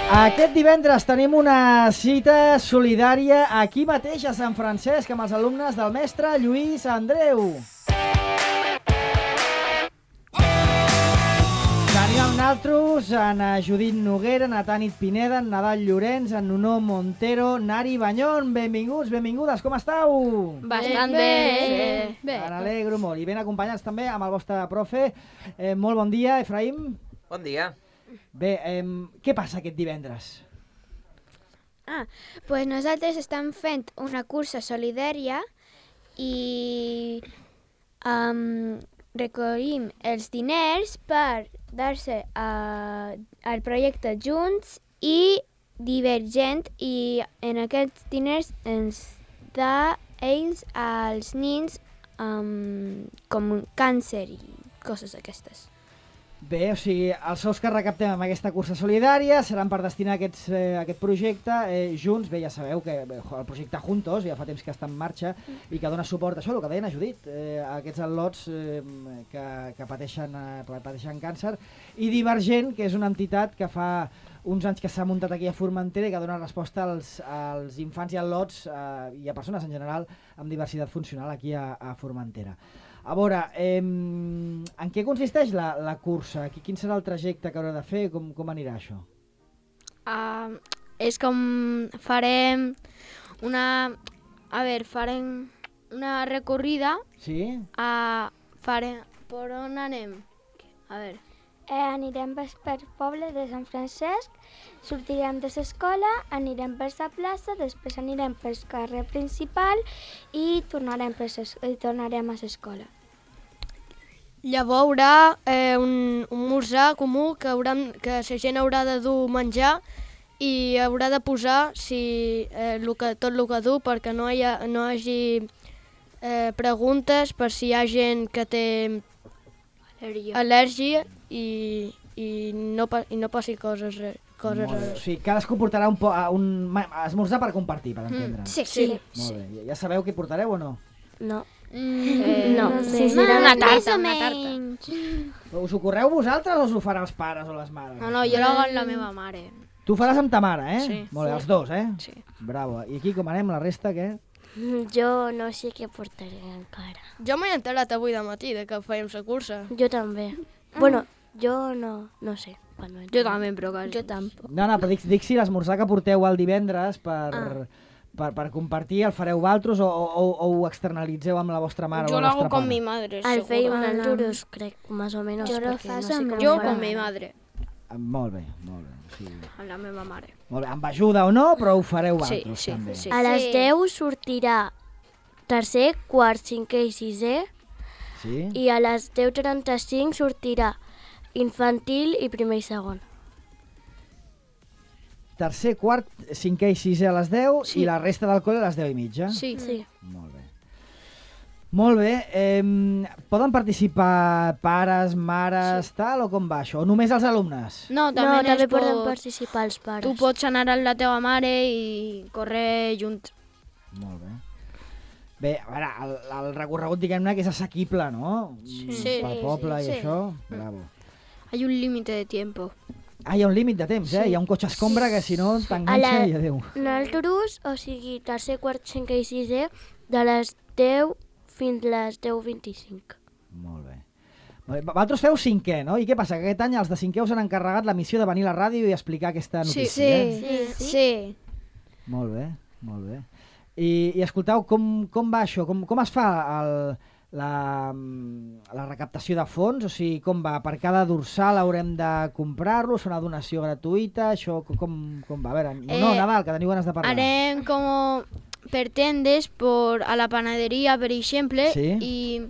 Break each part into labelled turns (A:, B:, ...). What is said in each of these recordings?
A: Aquest divendres tenim una cita solidària aquí mateix a Sant Francesc amb els alumnes del mestre Lluís Andreu. Tenim amb nosaltres en Judit Noguera, en Tanit Pineda, en Nadal Llorenç, en Nuno Montero, Nari Banyón. Benvinguts, benvingudes, com esteu?
B: Bastant bé.
A: Me n'alegro molt. I ben acompanyats també amb el vostre profe. Molt bon dia, Efraïm.
C: Bon dia.
A: Bé, què passa aquest divendres?
B: Pues nosaltres estem fent una cursa solidària i recollim els diners per dar-se al projecte Junts i Divergent, i en aquests diners ens da ells als nens com càncer i coses aquestes.
A: Bé, o sigui, els sous que recaptem amb aquesta cursa solidària seran per destinar a aquest projecte Junts. Bé, ja sabeu que el projecte Juntos ja fa temps que està en marxa i que dona suport a això, el que deien a Judit, a aquests al·lots que pateixen càncer, i Divergent, que és una entitat que fa uns anys que s'ha muntat aquí a Formentera i que dona resposta als infants i al·lots i a persones en general amb diversitat funcional aquí a Formentera. A veure, en què consisteix la cursa? Quin serà el trajecte que haurà de fer? Com anirà això?
D: És com farem una recorrida.
A: Sí?
D: Per on anem? A veure.
E: Anirem per poble de Sant Francesc, sortirem de l'escola, anirem per la plaça, després anirem pel carrer principal i tornarem a l'escola.
D: Llavors hi haurà un esmorzar comú que la gent haurà de dur menjar i haurà de posar tot el que du perquè no hi hagi preguntes per si hi ha gent que té al·lèrgia i no passi coses rares.
A: O sigui, cadascú portarà un esmorzar per compartir, per entendre.
B: Sí.
A: Molt bé. Ja sabeu què portareu o no?
E: No.
B: No.
D: Una tarta.
A: Us ho correu vosaltres o us ho faran els pares o les mares?
D: No, jo l'hago amb la meva mare.
A: Tu ho faràs amb ta mare, eh?
D: Sí.
A: Molt bé, els dos, eh?
D: Sí.
A: Bravo. I aquí com anem, la resta, què?
E: Jo no sé què portaré encara.
D: Jo m'he enterat avui de matí que fèiem la cursa.
E: Jo també. Bueno, jo no sé.
D: Jo també, però quasi.
E: Jo tampoc.
A: No, però dic si l'esmorzar que porteu el divendres per compartir el fareu vosaltres o ho externalitzeu amb la vostra mare o la vostra pare?
D: Yo lo hago con mi madre,
E: El feim
D: seguro.
E: nosaltres, crec, más o menos.
B: Jo lo
E: perquè
B: faig
E: no sé
B: amb
E: com
D: Jo
E: ho farà.
D: con mi madre,
A: Molt bé. Sí.
D: amb la meva mare.
A: Molt bé, amb ajuda o no, però ho fareu vosaltres
D: Sí,
A: també.
D: sí.
E: A les 10 sortirà tercer, quart, cinquè i sisè,
A: Sí?
E: i a les 10:35 sortirà infantil i primer i segon.
A: Tercer, quart, cinquè i sisè a les 10 i la resta del col·le a les 10:30.
D: Sí.
E: Sí.
A: Molt bé. Molt bé. Poden participar pares, mares, tal, o com va això? O només els alumnes?
D: No,
E: No,
D: també,
E: també poden participar els pares.
D: Tu pots anar amb la teva mare i córrer junts.
A: Molt bé. Bé, a veure, el recorregut, diguem-ne, que és assequible, no?
D: Sí.
A: Pel poble i
B: sí.
A: això. Bravo.
D: Hay un límite de tiempo.
A: Hi ha un límit de temps, Hi ha un cotxe escombra que si no t'enganxa i adéu.
E: Nosaltres, o sigui, tercer, quart, cinquè i sisè, de les 10 fins les 10:25.
A: Molt bé. Vosaltres feu cinquè, no? I què passa? Que aquest any els de cinquè us han encarregat la missió de venir a la ràdio i explicar aquesta notícia.
D: Sí.
A: Molt bé, molt bé. I escolteu, com va això? Com es fa la recaptació de fons? O sigui, com va? Per cada dorsal haurem de comprar-lo? És una donació gratuïta? Això com va? A veure, Nadal, que teniu ganes de parlar.
D: Harem com per tendes a la panaderia, per exemple,
A: Sí.
D: i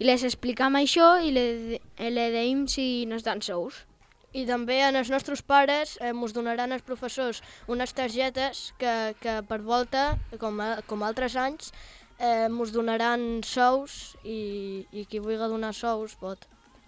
D: les explicam això i le deim si nos dan sous. I també als nostres pares ens donaran els professors unes targetes que per volta, com altres anys, ens donaran sous i qui vulgui donar sous pot.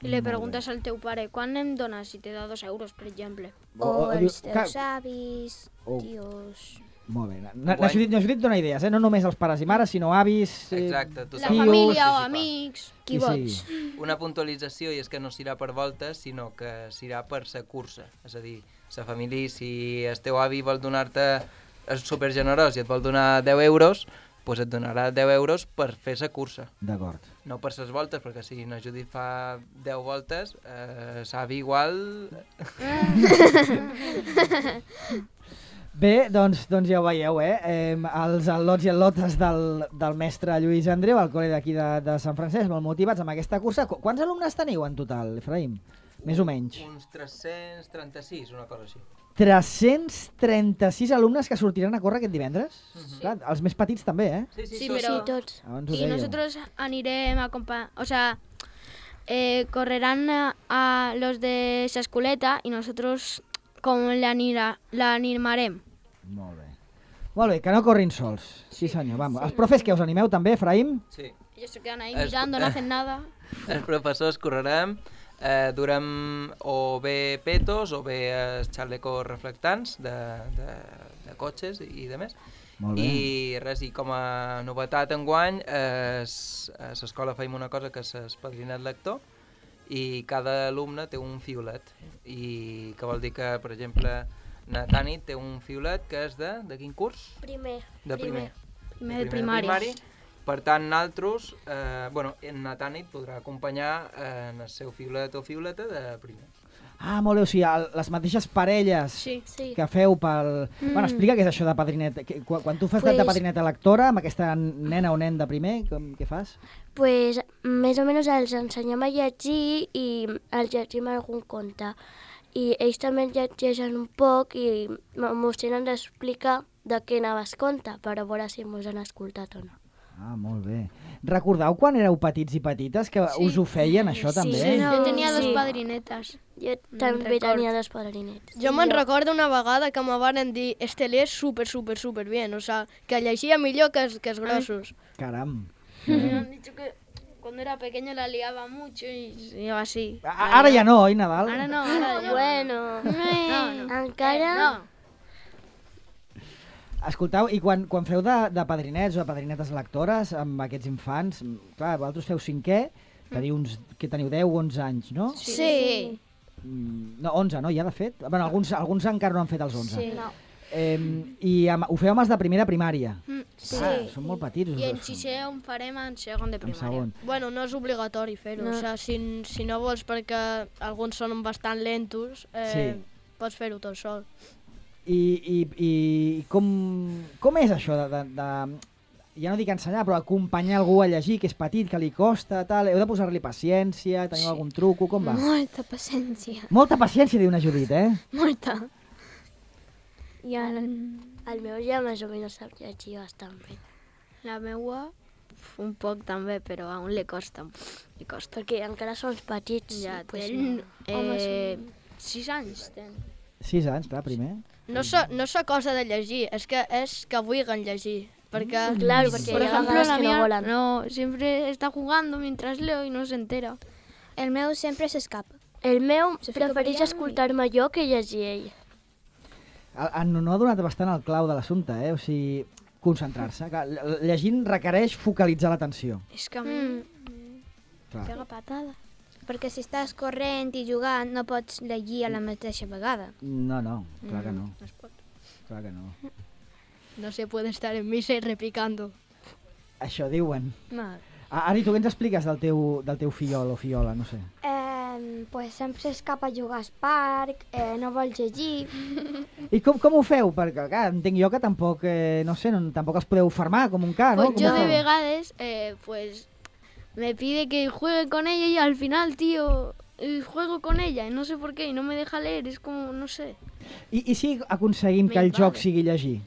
D: I li preguntes al teu pare, quan em dones? Si te da 2 euros, per exemple.
B: O
A: diu-
B: els teus avis,
A: O-
B: tios...
A: Molt bé. Na Judit dona idees, no només els pares i mares, sinó avis...
C: Exacte.
D: La família o amics, qui vols.
C: Una puntualització, i és que no serà per voltes, sinó que serà per sa cursa. És a dir, sa família, si el teu avi vol donar-te, és supergenerós i et vol donar 10 euros, doncs et donarà 10 euros per fer sa cursa.
A: D'acord.
C: No per ses voltes, perquè si na Judit fa 10 voltes, l'avi igual...
A: Bé, doncs ja ho veieu, els al·lots i al·lotes del mestre Lluís Andreu, al col·le d'aquí de Sant Francesc, molt motivats amb aquesta cursa. Quants alumnes teniu en total, Efraïm? Més o menys.
C: Uns 336, una cosa així.
A: 336 alumnes que sortiran a córrer aquest divendres? Clar, els més petits també, eh?
D: Sí, però...
E: Sí, tots.
D: Y nosotros anirem a o sea, correrán a los de esa escoleta y nosotros com la animarem.
A: Molt bé. Molt bé, que no corrin sols. Sí, senyor, vamos. Els profes que us animeu també, Efraïm?
C: Sí.
D: Ellos se quedan ahí mirando, no hacen nada.
C: Els professors correrem, durem o bé petos o bé xalecos reflectants de cotxes i de més.
A: Molt bé.
C: I res, i com a novetat enguany, a l'escola feim una cosa que és el padrinat lector, i cada alumne té un fiolet, i que vol dir que, per exemple, na Tanit té un fiolet que és de quin curs?
E: Primer.
C: De primer.
D: Primer de primari.
C: Per tant, nosaltres, na Tanit podrà acompanyar en el seu fiolet o fioleta de primer.
A: Ah, molt bé, o sigui, les mateixes parelles
D: Sí.
A: que feu pel... Bueno, explica què és això de padrinet. Quan tu fas de padrineta lectora, amb aquesta nena o nen de primer, què fas?
E: Pues més o menys els ensenyem a llegir i els llegim algun conte. I ells també llegeixen un poc i mos tenen d'explicar de què anava el conte, per a veure si mos han escoltat o no.
A: Ah, molt bé. Recordeu quan éreu petits i petites que us ho feien, això també?
D: Sí,
E: No,
D: jo tenia dos
E: sí.
D: padrinetes.
E: Jo també tenia dos padrinets.
D: Jo me'n recordo una vegada que me van dir Estelé és super bien, o sea, que llegia millor que els grossos.
A: Caram.
D: Me han dicho que cuando era pequeño la liaba mucho y iba así.
A: Ara ja no, oi, Nadal?
D: Ara no, ara ja.
E: Bueno,
D: No.
E: encara...
D: No.
A: Escolteu, i quan feu de padrinets o de padrinetes lectores amb aquests infants, clar, vosaltres feu cinquè, que teniu 10 o 11 anys, no?
D: Sí.
A: No, 11, no, ja de fet. Bueno, alguns encara no han fet els 11.
D: Sí.
E: No.
A: I ho feu amb els de primer de primària.
E: Sí.
A: Ah, són molt petits.
D: I en sisè on farem en segon de primària.
A: segon.
D: Bueno, no és obligatori fer-ho,
E: No.
D: o sigui, si no vols perquè alguns són bastant lentos,
A: Sí.
D: pots fer-ho tot sol.
A: I com és això de ja no dic ensenyar, però acompanyar algú a llegir, que és petit, que li costa, tal, heu de posar-li paciència, teniu algun truco, com va?
B: Molta paciència.
A: Molta paciència, diu una Judit,
B: Molta. I
E: El meu ja més o menys sap llegir bastant bé.
D: La meua, un poc també, però aún li costa. Li costa.
E: Perquè encara són petits.
D: Ja
E: pues
D: tenen
E: no.
D: 6 anys.
A: 6 anys, clar, primer.
D: No és cosa de llegir, és que vulguin llegir. Perquè,
E: Claro, porque
D: por
E: hay
D: ejemplo,
E: vegades
D: la
E: que no
D: mía
E: volan.
D: no, siempre está jugando mientras leo y no se entera.
B: el meu sempre s'escapa.
E: El meu
B: Se fica
E: prefereix
B: ballant
E: escoltar-me jo que llegir ell.
A: En no ha donat bastant el clau de l'assumpte, o sigui, concentrar-se. Clar, llegint requereix focalitzar l'atenció.
D: És que a mi
A: Clar.
D: pega patada.
B: Perquè si estàs corrent i jugant no pots llegir a la mateixa vegada.
A: No, clar que no.
D: No es pot.
A: Clar que no.
D: No se puede estar en misa y repicando.
A: Això diuen.
D: No.
A: Ari, tu què ens expliques del teu fillol o fillola, no sé?
E: Pues sempre s'escapa a jugar al parc, no vol llegir.
A: I com ho feu? Perquè, clar, entenc jo que tampoc, no sé, tampoc els podeu fermar com un ca, no?
D: Pues
A: Com
D: yo
A: ho
D: de
A: feu?
D: vegades, pues me pide que juegue con ella y al final, tío, juego con ella y no sé por qué y no me deja leer, es como, no sé.
A: I si aconseguim que el joc sigui llegir?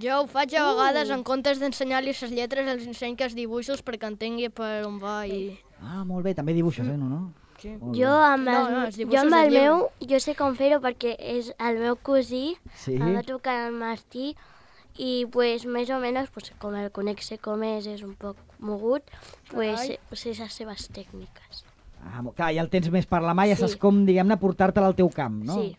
D: Jo ho faig a vegades en comptes d'ensenyar-li les lletres, els ensenyo els dibuixos perquè entengui per on va i...
A: Ah, molt bé, també dibuixes, no?
D: Sí.
A: Molt
E: Jo
A: bé.
E: amb
D: No,
E: el,
D: els
E: jo
D: dibuixos
E: amb el
D: del llibre.
E: meu, jo sé com fer-ho perquè és el meu cosí,
A: Sí?
E: em va trucar el Martí i pues més o menys pues, com el conec sé com és un poc mogut, pues sé les seves tècniques.
A: Clar, ja el tens més per la mà, ja
E: Sí.
A: saps com, diguem-ne, portar-te'l al teu camp, no?
E: Sí.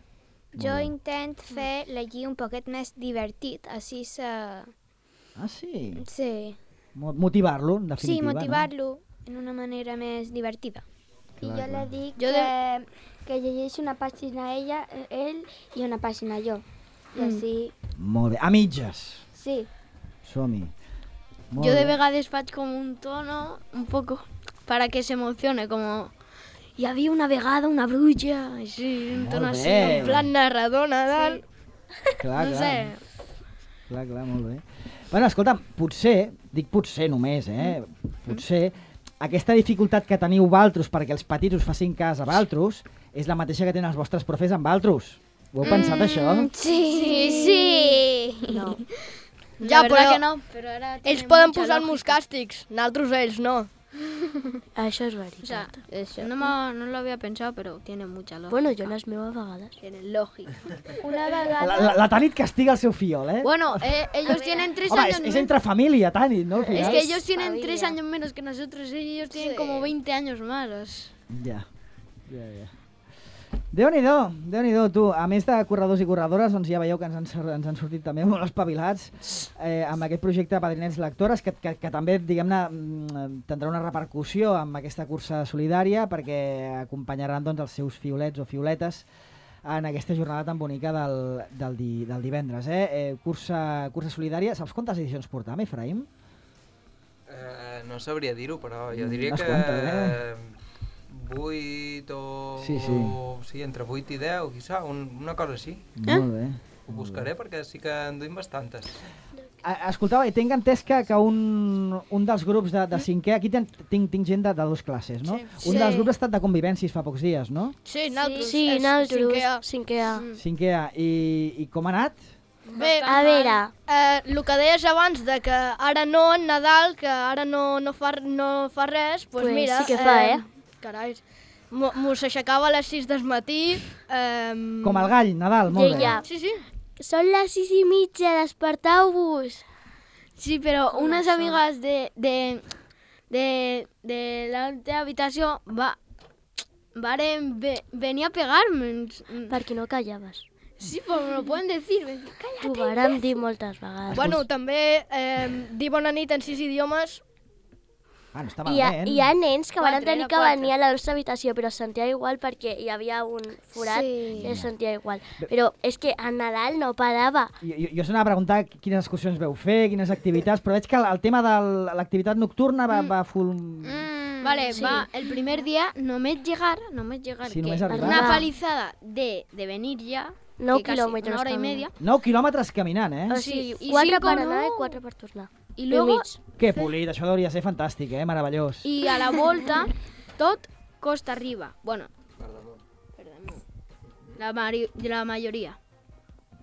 B: Jo intent fer la lli un poquet més divertit, així se...
A: Ah, sí?
B: Sí,
A: Motivar-lo, en
B: sí,
A: definitiva,
B: motivar-lo en una manera més divertida.
E: I jo le dic
D: Jo
E: que llegeixi una pàgina ell i una pàgina jo. I així,
A: no? Molt bé. A mitges.
E: sí.
A: Som-hi. Molt
D: Yo de
A: bé.
D: vegades faig com un tono un poco para que se emocione, como y había una vegada una bruja, així, un tono
A: Molt
D: así,
A: bé.
D: en plan narradona, tal.
A: Clar,
D: No
A: clar.
D: sé.
A: Clar, molt bé. Bueno, escolta'm, potser, dic potser només, potser aquesta dificultat que teniu valtros perquè els petits us facin cas a valtros és la mateixa que tenen els vostres profes amb valtros. Ho heu pensat, això?
B: Sí.
D: No.
B: Ja,
D: La verdad
B: però-
D: que no.
B: Però ara
D: Ells
B: tenen
D: poden
B: mucha
D: posar-nos
B: lògica.
D: càstigs, nosaltres ells no.
F: Això és
D: O
F: veritat.
D: sea, no lo había pensado, pero tiene mucha lógica.
F: Bueno, jo les meves vegades.
D: Tiene lógica.
E: Una vegada...
A: La Tanit castiga el seu fiol, eh?
D: Bueno, ellos tienen 3
A: Home,
D: años
A: és
D: menos.
A: entre família, Tanit, no? Al
D: Es
A: final.
D: que ellos tienen
F: familia.
D: 3 años menos que nosotros, ellos tienen como 20 años más.
A: Ja. Déu-n'hi-do, tu. A més de corredors i corredores, doncs ja veieu que ens han sortit també molt espavilats amb aquest projecte Padrinets Lectores, que també, diguem-ne, tindrà una repercussió amb aquesta cursa solidària, perquè acompanyaran doncs, els seus fiolets o fioletes en aquesta jornada tan bonica del divendres. Cursa solidària. Saps quantes edicions portam, Efraïm?
C: No sabria dir-ho, però jo diria
A: Unes
C: que...
A: quantes,
C: 8 o...
A: Sí.
C: Sí, entre 8 i 10, quizà, una cosa així.
A: Molt bé.
C: Ho buscaré perquè sí que en duim bastantes.
A: Escolteu, tinc entès que un dels grups de cinquè, aquí tinc gent de dues classes, no?
D: Sí.
A: Un dels grups ha estat de convivències fa pocs dies, no?
D: Sí, nosaltres.
F: Sí,
D: és
F: nosaltres,
D: 5è A.
F: 5è A.
A: Cinquè A. I com ha anat?
D: Bé,
F: A veure,
D: el que deies abans de que ara no, en Nadal, que ara no fa res, doncs
F: Pues
D: mira...
F: sí que fa,
D: Carai, mos aixecava a les 6 del matí.
A: Com el gall, Nadal, molt bé.
F: Ja.
D: Sí, sí.
F: són les 6:30, desperteu-vos.
D: Sí, pero unas amigas de la otra habitación venir a pegarme.
F: Perquè no callaves.
D: Sí, pero me lo pueden decir.
F: T'ho vàrem dir moltes vegades.
D: Bueno, també dir bona nit en 6 idiomes.
A: Ah, no està
F: Hi ha,
A: malament.
F: hi ha nens que van
D: Quatre,
F: tenir
D: era
F: que
D: quatre.
F: venir a la nostra habitació, però es sentia igual perquè hi havia un forat
B: Sí.
F: i es sentia igual. Però és que a Nadal no parava.
A: Jo us anava a preguntar quines excursions veu fer, quines activitats, però veig que el tema de l'activitat nocturna va full...
D: Vale,
F: sí.
D: va, el primer día només llegar,
A: Sí,
D: que
A: només arribar.
D: una palizada de venir ya,
F: 9
D: que casi
F: quilòmetres
D: una hora y
F: caminant.
D: media,
A: 9 quilòmetres caminant, eh?
F: O
D: Sí,
F: sigui,
D: i
F: 4
D: cinco
F: per
D: no.
F: anar i 4 per tornar.
D: y luego,
F: mig.
A: Que polit, això hauria de ser fantàstic, meravellós.
D: y a la volta, tot costa arriba. Bueno, la mayoría.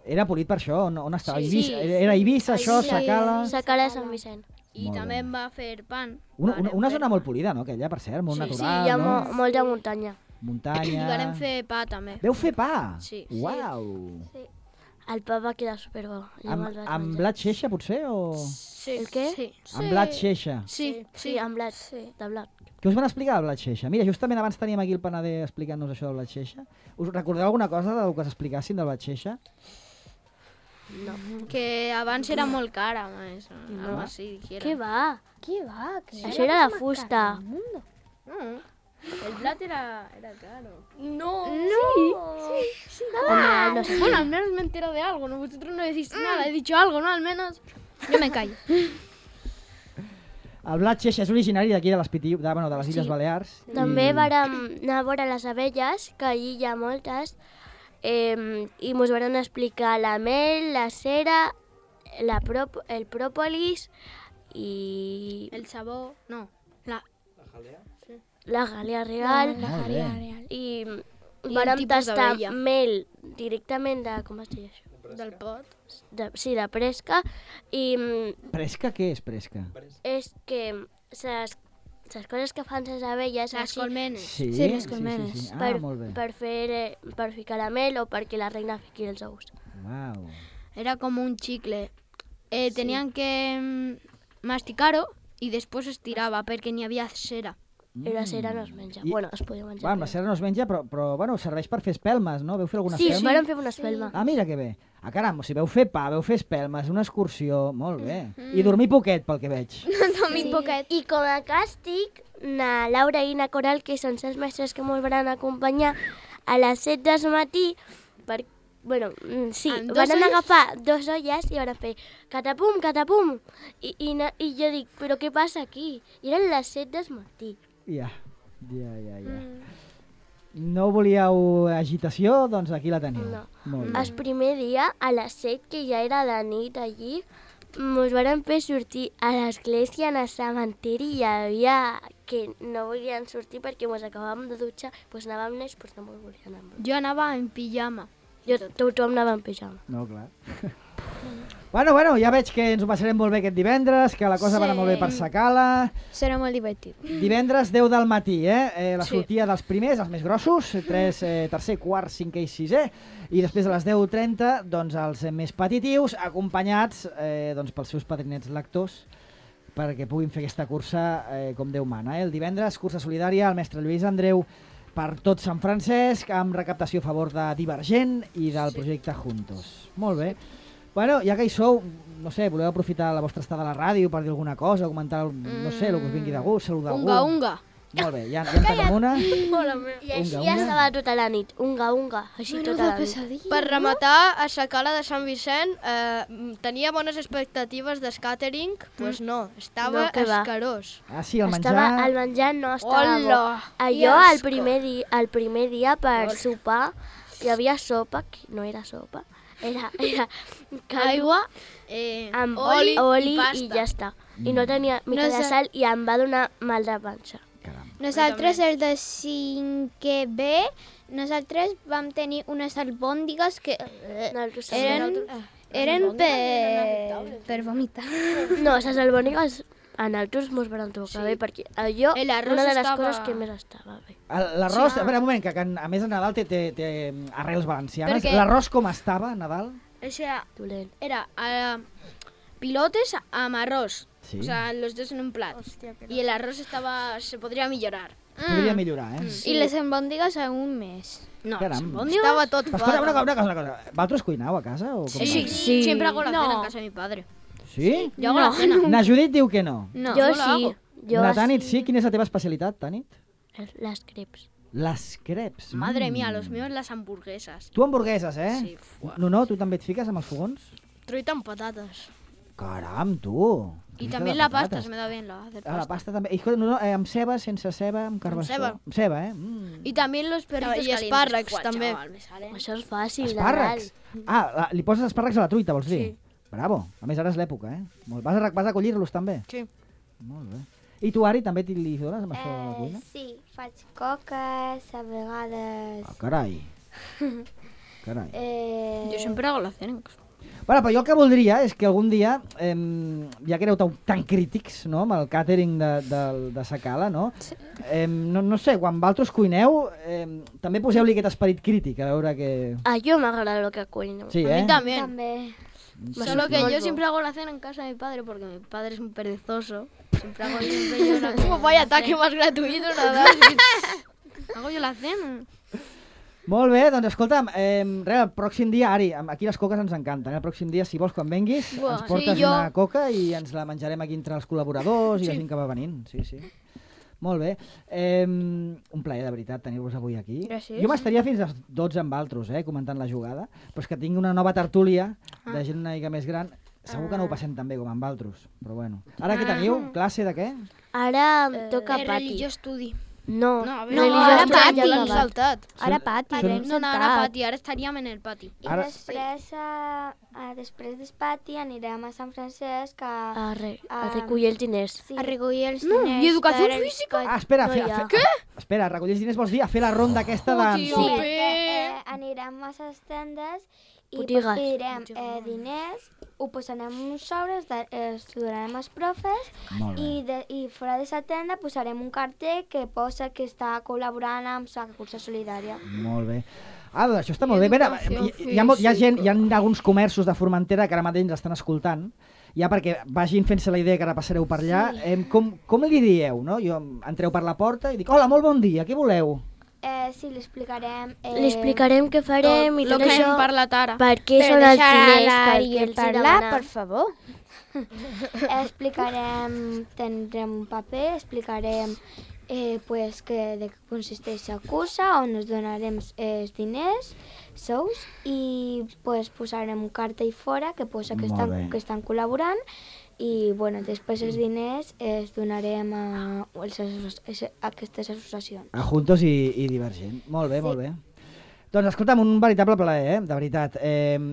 A: Era polit per això? On estava?
D: Sí,
A: Eivissa?
D: sí.
A: Era Eivissa, això,
D: Sí.
A: Sacala...
F: Sacala de Sant Vicent.
D: I
A: Molt
D: també
A: bé.
D: em va fer pan.
A: Una zona molt polida, no? Aquella, per cert, molt
D: Sí, sí,
A: natural,
F: Hi ha
A: no?
F: molta muntanya.
D: I
A: Muntanya...
D: vam fer pa també.
A: Veu fer pa?
D: Sí.
A: Uau!
F: El pa va quedar superbo. Jo me'l vaig
A: Amb
F: menjar.
A: blat xeixa, potser, o...?
D: Sí.
F: El què?
D: Sí.
A: Amb blat xeixa.
D: Sí,
F: Sí, amb blat. De blat.
A: Què us van explicar del blat xeixa? Mira, justament abans teníem aquí el panader explicant-nos això del blat xeixa. Us recordeu alguna cosa del que s'explicassin del blat xeixa?
D: Que abans era molt cara, més. Algo así, dijera.
F: Què va?
B: Què va? Que
F: Això era de fusta.
D: No, el blat era caro. No.
F: Sí. No sé.
D: Bueno, al menos me entero de algo, ¿no? Vosotros no decís nada, he dicho algo, ¿no? Al menos yo me callo.
A: El blat xeixa és originari d'aquí de les Illes Balears.
F: També vàrem anar a veure les abelles, que allí hi ha moltes, i mos van explicar la mel, la cera, el pròpolis i
D: El sabor, no.
F: la galea real.
A: Molt bé.
F: I
D: un
F: vàrem
D: tipus
F: tastar
D: d'abella.
F: mel directament de... Com es diu això?
D: Del pot.
F: Sí, de presca. I
A: Presca, què és presca?
F: és que les coses que fan les abelles
D: Les
F: així,
D: colmenes.
A: Sí,
B: les colmenes.
A: Sí. Ah,
F: per,
A: molt bé.
F: per ficar la mel o perquè la reina fiqui els ous.
A: Uau.
D: Era como un chicle. Tenían que masticar-ho y después estiraba porque ni había cera.
F: I la cera no es menja. Bueno, es podia menjar.
A: Bueno, la cera no es menja, però bueno, serveix per fer espelmes, no? Veu fer alguna
F: Sí,
A: espelma?
F: vàrem fer una espelma.
A: Ah, mira que bé. Ah, caram, o sigui, veu fer pa, veu fer espelmes, una excursió, molt bé. I dormir poquet, pel que veig.
B: Dormir poquet.
F: I com a càstig, na Laura i na Coral, que són les mestres que ens van acompanyar, a les 7 del matí, van agafar 2 olles i van fer catapum, catapum. I jo dic, però què passa aquí? I eren les 7 del matí.
A: Ja. No volíeu agitació? Doncs aquí la teniu.
F: No.
A: Molt bé.
F: El primer dia, a les 7, que ja era de nit allí, ens van fer sortir a l'església, en el cementiri, i hi havia que no volien sortir perquè ens acabàvem de dutxar, doncs anàvem nets, doncs no ens volien anar.
D: Jo anava en pijama.
F: Tothom anava en pijama.
A: No, clar. Bueno, ja veig que ens ho passarem molt bé aquest divendres, que la cosa va anar molt bé per Sacala.
B: Serà molt divertit.
A: Divendres 10 del matí, la sortida dels primers, els més grossos, tercer, quart, cinquè i sisè, i després a les 10:30 doncs, els més petitius, acompanyats doncs, pels seus padrinets lectors, perquè puguin fer aquesta cursa com Déu mana. El divendres, cursa solidària, el mestre Lluís Andreu per tot Sant Francesc, amb recaptació a favor de Divergent i del projecte Juntos. Molt bé. Bueno, ja que hi sou, no sé, voleu aprofitar la vostra estada a la ràdio per dir alguna cosa, comentar, no sé, el que us vingui de gust, saludar algú?
D: Unga.
A: Molt bé, ja en tenim una.
F: I així ja estava tota la nit, unga, així tota la nit.
D: Per rematar, a Sacala de Sant Vicent tenia bones expectatives de catering, doncs no, estava escarós.
A: Ah, sí, el menjar...
F: El menjar no estava bo. Allò, el primer dia per sopar, hi havia sopa, que no era sopa, era
D: aigua,
F: amb
D: oli
F: oli
D: i pasta.
F: I ja està. I no tenia mica de sal i em va donar mal de panxa.
B: Nosaltres, el de 5è B, nosaltres vam tenir unes albòndigues que eren per vomitar.
F: No, les albòndigues a nosaltres mos van tocar bé, perquè allò una de les coses que més estava bé.
A: L'arròs, a veure, un moment, que a més a Nadal té arrels valencianes. L'arròs com estava, a Nadal?
F: Dolent.
D: Era pilotes amb arroz.
A: Sí.
D: O sea, los dos en un plat. Y el arroz se podría mejorar.
A: Podria millorar,
B: I les albòndigues aún més.
D: No,
A: Caram.
D: estaba todo
A: Escolta, una cosa. Vosaltres cuinau a casa? O com
D: Sí, siempre hago la cena en casa de mi padre.
A: Sí?
D: Yo hago la cena.
A: Na Judit diu que no.
B: No.
F: Jo sí.
A: Na Tanit sí? Quina és la teva especialitat, Tanit?
F: Les creps.
A: Les creps.
D: Madre mía, los míos las hamburguesas.
A: Tu hamburgueses,
D: Sí, fuà.
A: No, tu també et fiques amb els fogons?
D: Truita amb patates.
A: Caram, tu.
D: Y también la pasta, se me da bien hacer pasta.
A: La pasta també. I escolta, amb ceba, sense ceba, amb carbassó?
D: ceba.
A: Amb ceba,
D: Y también los perritos y espárragos también.
F: Això és fàcil.
A: Espàrrecs? Li poses espàrrecs a la truita, vols dir?
D: Sí.
A: Bravo. A més, ara és l'època, Vas a collir-los també?
D: Sí.
A: Molt bé. I tu, Ari, també li dones amb això de la cuina?
E: Sí, faig coques, a vegades...
A: Ah, carai. Carai.
D: Yo siempre hago la cena en casa.
A: Bueno, però jo el que voldria és que algun dia, ja que éreu tan crítics, no?, amb el càtering de Sacala, no? No sé, quan vosaltres cuineu, també poseu-li aquest esperit crític, a veure que...
F: A jo m'agrada el que cuino.
A: Sí,
D: A mí también.
E: També.
D: Solo que yo siempre hago la cena en casa de mi padre porque mi padre es un perezoso. Siempre hago yo la cena. Vaya ataque más gratuito, nada. Hago yo la cena.
A: Molt bé, doncs escolta'm, el pròxim dia, Ari, aquí les coques ens encanten, el pròxim dia, si vols, quan venguis, ens portes una coca i ens la menjarem aquí entre els col·laboradors i la gent que va venint. Sí. Molt bé. Un plaer, de veritat, tenir-vos avui aquí.
B: Gràcies.
A: Jo m'estaria fins a les 12 amb altres, comentant la jugada, però és que tinc una nova tertúlia de gent una mica més gran. Segur que no ho passem tan bé com amb altres, però bueno. Ara què teniu? Classe de què?
F: Ara em toca pati.
D: Religió estudi.
F: No,
D: a ver,
F: religió
D: ara
F: estudi
D: pati.
F: ja
D: L'han saltat.
B: Ara pati.
D: No, ara pati, ara estaríem en el pati.
E: I
A: Ara-
E: després del pati anirem a Sant Francesc
F: a recollir els diners.
E: Sí.
B: A recollir els diners.
D: I educació
B: per-
D: física?
A: Ah, espera,
F: No hi ha.
A: espera, recollir els diners vols dir a fer la ronda aquesta de...
D: tio.
E: Sí,
D: Bé.
E: perquè anirem a les tendes i
F: Botigues.
E: pedirem diners, ho posarem en uns sobres, estudiarem els profes
A: Molt bé.
E: i fora de la tenda posarem un cartell que posa que està col·laborant amb la cursa solidària.
A: Molt bé. Ah, doncs això està molt bé. Mira,
D: Educació
A: hi ha alguns comerços de Formentera que ara mateix ens estan escoltant ja perquè vagin fent-se la idea que ara passareu per allà, com li dieu, no? Jo entreu per la porta i dic, hola, molt bon dia, què voleu?
E: Sí, li explicarem...
F: Li explicarem què farem i
D: Lo
F: tot
D: que
F: això.
D: hem parlat ara.
F: Per què són els diners, per què els
B: parlar,
F: demanar.
B: per favor.
E: Explicarem, tindrem un paper, explicarem pues, de què consisteix la cursa, on ens donarem els diners, sous, i pues, posarem un cartell fora que posa que estan col·laborant i bueno, després els diners els donarem a aquestes associacions.
A: A Juntos i Divergent. Molt bé, molt bé. Doncs escolta'm, un veritable plaer, de veritat.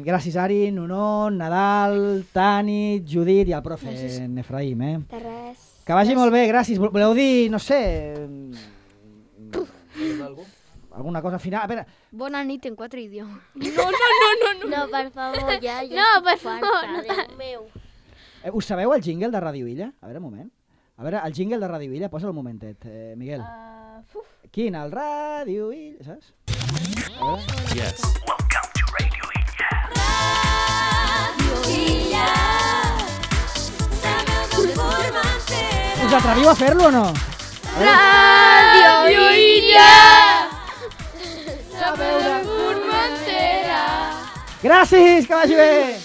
A: Gràcies, Ari, Nuno, Nadal, Tani, Judit i el profe Efraïm.
E: De res.
A: Que vagi molt bé, gràcies. Voleu dir, no sé... alguna cosa final? A veure...
D: Bona nit en 4 idiomes.
F: No, per favor, ja
B: No, per
F: estic
B: favor,
F: farta, Déu meu.
A: Us sabeu el jingle de Ràdio Illa? A veure, un moment. A veure, el jingle de Ràdio Illa, posa el momentet, Miguel. Quin, el Ràdio Illa, saps? A veure.
G: Yes. Welcome to Radio Illa.
A: Us atreviu a fer-lo o no?
B: Ràdio Illa!
A: Gràcies, que vagi bé!